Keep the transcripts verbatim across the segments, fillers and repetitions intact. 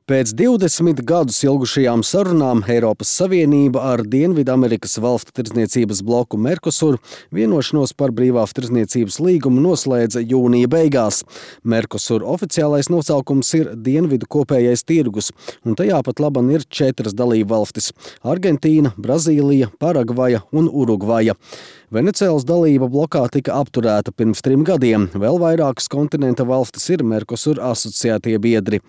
Pēc divdesmit gadus ilgušajām sarunām Eiropas Savienība ar Dienvidamerikas valstu tirdzniecības bloku Mercosur vienošanos par brīvās tirdzniecības līgumu noslēdza jūnija beigās. Mercosur oficiālais nosaukums ir Dienvidu kopējais tirgus, un tajā pat laban ir četras dalībvalstis – Argentīna, Brazīlija, Paragvaja un Urugvaja. Venecēlas dalība blokā tika apturēta pirms trim gadiem. Vēl vairākas kontinenta valstis ir Mercosur asociētie biedri.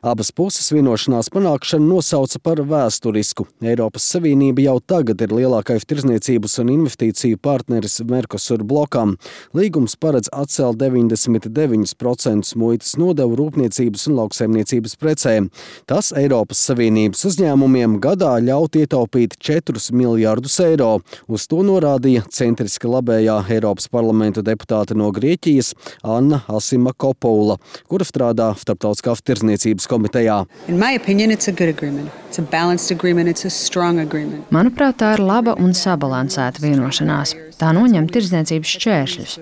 Abas puses vienošanās panākšanu nosauca par vēsturisku. Eiropas Savienība jau tagad ir lielākais tirdzniecības un investīciju partneris Mercosur blokam. Līgums paredz atcelt deviņdesmit deviņus procentus muitas nodevu rūpniecības un lauksaimniecības precēm. Tas Eiropas Savienības uzņēmumiem gadā ļaut ietaupīt četrus miljardus eiro. Uz to norādīja centriski labējā Eiropas parlamenta deputāte no Grieķijas Anna Asimakopoula, kura strādā Starptautiskās tirdzniecības komitejā. Manuprāt, tā ir laba un sabalansēta vienošanās. Tā noņem tirdzniecības šķēršļus.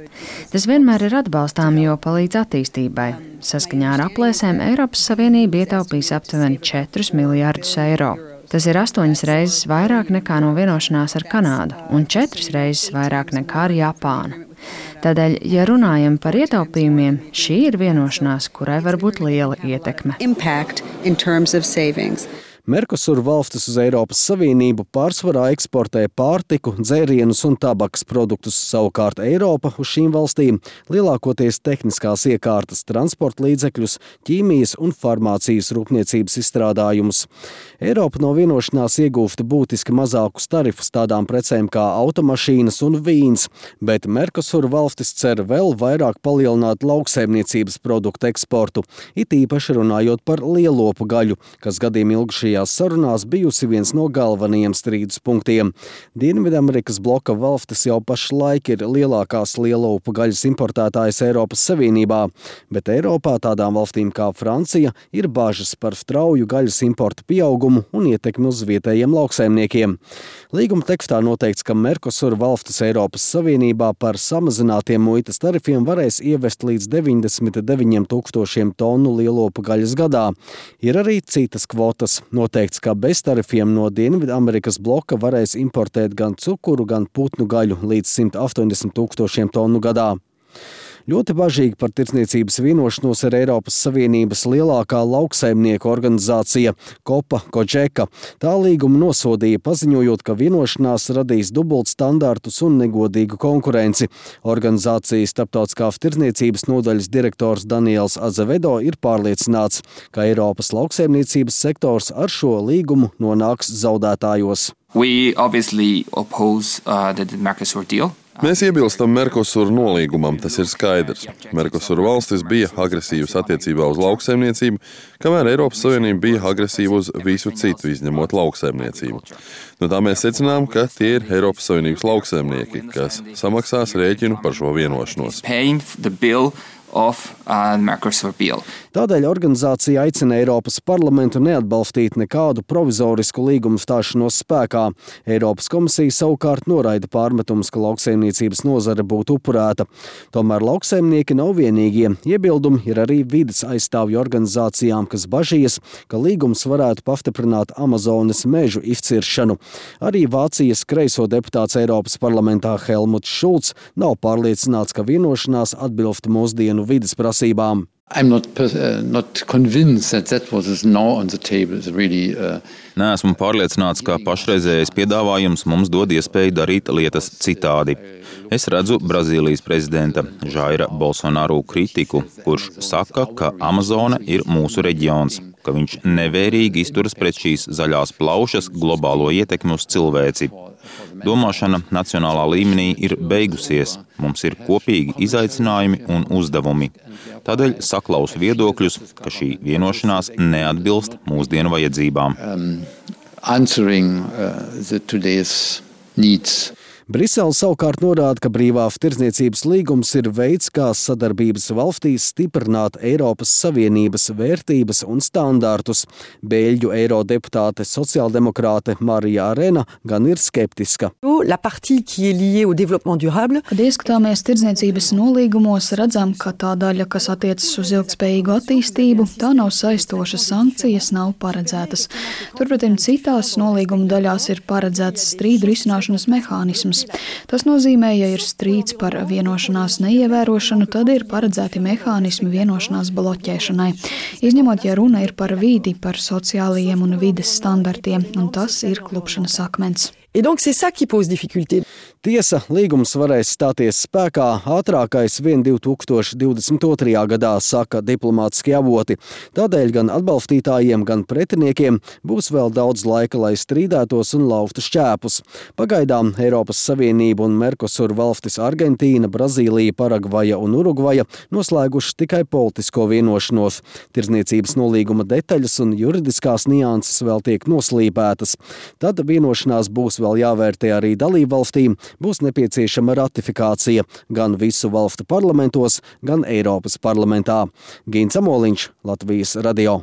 Tas vienmēr ir atbalstām, jo palīdz attīstībai. Saskaņā ar aplēsēm Eiropas Savienība ietaupīs aptuveni četrus miljardus eiro. Tas ir astoņas reizes vairāk nekā no vienošanās ar Kanādu un četras reizes vairāk nekā ar Japānu. Tādēļ, ja runājam par ietaupījumiem, šī ir vienošanās, kurai var būt liela ietekme. Mercosur valstis uz Eiropas Savienību pārsvarā eksportē pārtiku, dzērienus un tabakas produktus. Savukārt Eiropa uz šīm valstīm lielākoties tehniskās iekārtas, transporta līdzekļus, ķīmijas un farmācijas rūpniecības izstrādājumus. Eiropa no vienošanās iegūsta būtiski mazākus tarifus tādām precēm kā automašīnas un vīns, bet Mercosur valstis cer vēl vairāk palielināt lauksaimniecības produktu eksportu, it īpaši runājot par lielopu gaļu, kas gadiem ilgušajā sarunās bijusi viens no galvenajiem strīdus punktiem. Dienvidamerikas bloka valstis jau pašlaik ir lielākās lielopu gaļas importētājas Eiropas Savienībā, bet Eiropā tādām valstīm kā Francija ir bažas par strauju gaļas importa pieaugumu un ietekmi uz vietējiem lauksaimniekiem. Līguma tekstā noteikts, ka Mercosur valstis Eiropas Savienībā par samazinātiem muitas tarifiem varēs ievest līdz deviņdesmit deviņiem tūkstošiem tonu lielopu gaļas gadā. Ir arī citas kvotas. Noteikts, ka bez tarifiem no Dienvidamerikas bloka varēs importēt gan cukuru, gan putnu gaļu līdz simt astoņdesmit tūkstošiem tonu gadā. Ļoti bažīgi par tirdzniecības vienošanos ar Eiropas Savienības lielākā lauksaimnieku organizācija Copa Cogeca. Tā līgumu nosodīja, paziņojot, ka vienošanās radīs dubultstandartus un negodīgu konkurenci. Organizācijas Starptautiskās tirdzniecības nodaļas direktors Daniels Azevedo ir pārliecināts, ka Eiropas lauksaimniecības sektors ar šo līgumu nonāks zaudētājos. We obviously oppose uh, the Mercosur deal. Mēs iebilstam Mercosur nolīgumam, tas ir skaidrs. Mercosur valstis bija agresīvas attiecībā uz lauksaimniecību, kamēr Eiropas Savienība bija agresīva uz visu citu, izņemot lauksaimniecību. No tā mēs secinām, ka tie ir Eiropas Savienības lauksaimnieki, kas samaksās rēķinu par šo vienošanos. Of, uh, Mercosur bill. Tādēļ organizācija aicina Eiropas parlamentu neatbalstīt nekādu provizorisku līgumu stāšanos spēkā. Eiropas komisija savukārt noraida pārmetumus, ka lauksaimniecības nozare būtu upurēta. Tomēr lauksaimnieki nav vienīgie. Iebildumi ir arī vides aizstāvju organizācijām, kas bažījas, ka līgums varētu pastiprināt Amazonas mežu izciršanu. Arī Vācijas kreiso deputāts Eiropas parlamentā Helmuts Šulcs nav pārliecināts, ka vienošanās atbilst mūsdienu vides prasībām. I'm not, uh, not convinced that that what is now on the table is really... Uh... Neesmu pārliecināts, ka pašreizējais piedāvājums mums dod iespēju darīt lietas citādi. Es redzu Brazīlijas prezidenta Jaira Bolsonaru kritiku, kurš saka, ka Amazone ir mūsu reģions, ka viņš nevērīgi izturas pret šīs zaļās plaušas globālo ietekmi uz cilvēci. Domāšana nacionālā līmenī ir beigusies. Mums ir kopīgi izaicinājumi un uzdevumi. Tādēļ saklausu viedokļus, ka šī vienošanās neatbilst mūsdienu vajadzībām. Um, answering, uh, the today's needs. Brisele savukārt norāda, ka brīvā tirdzniecības līgums ir veids, kā sadarbības valstīs stiprināt Eiropas Savienības vērtības un standārtus. Beļģu eirodeputāte sociāldemokrāte Marija Arena gan ir skeptiska. Kad ieskatāmies tirdzniecības nolīgumos, redzam, ka tā daļa, kas attiecas uz ilgtspējīgu attīstību, tā nav saistoša, sankcijas nav paredzētas. Turpretim citās nolīguma daļās ir paredzēts strīdu risināšanas mehānisms. Tas nozīmē, ja ir strīds par vienošanās neievērošanu, tad ir paredzēti mehānismi vienošanās bloķēšanai. Izņemot, ja runa ir par vidi, par sociālajiem un vides standartiem, un tas ir klupšanas akmens. Tiesa, līgums varēs stāties spēkā ātrākais vien divi tūkstoši divdesmit otrajā gadā, saka diplomātiskie avoti. Tādēļ gan atbalstītājiem, gan pretiniekiem būs vēl daudz laika, lai strīdētos un lauftu šķēpus. Pagaidām Eiropas Savienība un Mercosur valstis Argentīna, Brazīlija, Paragvaja un Urugvaja noslēguši tikai politisko vienošanos. Tirdzniecības nolīguma detaļas un juridiskās nianses vēl tiek noslīpētas. Tad vienošanās būs vēl jāvērtē arī dalībvalstīm, būs nepieciešama ratifikācija gan visu valstu parlamentos, gan Eiropas parlamentā. Gins Amoliņš, Latvijas radio.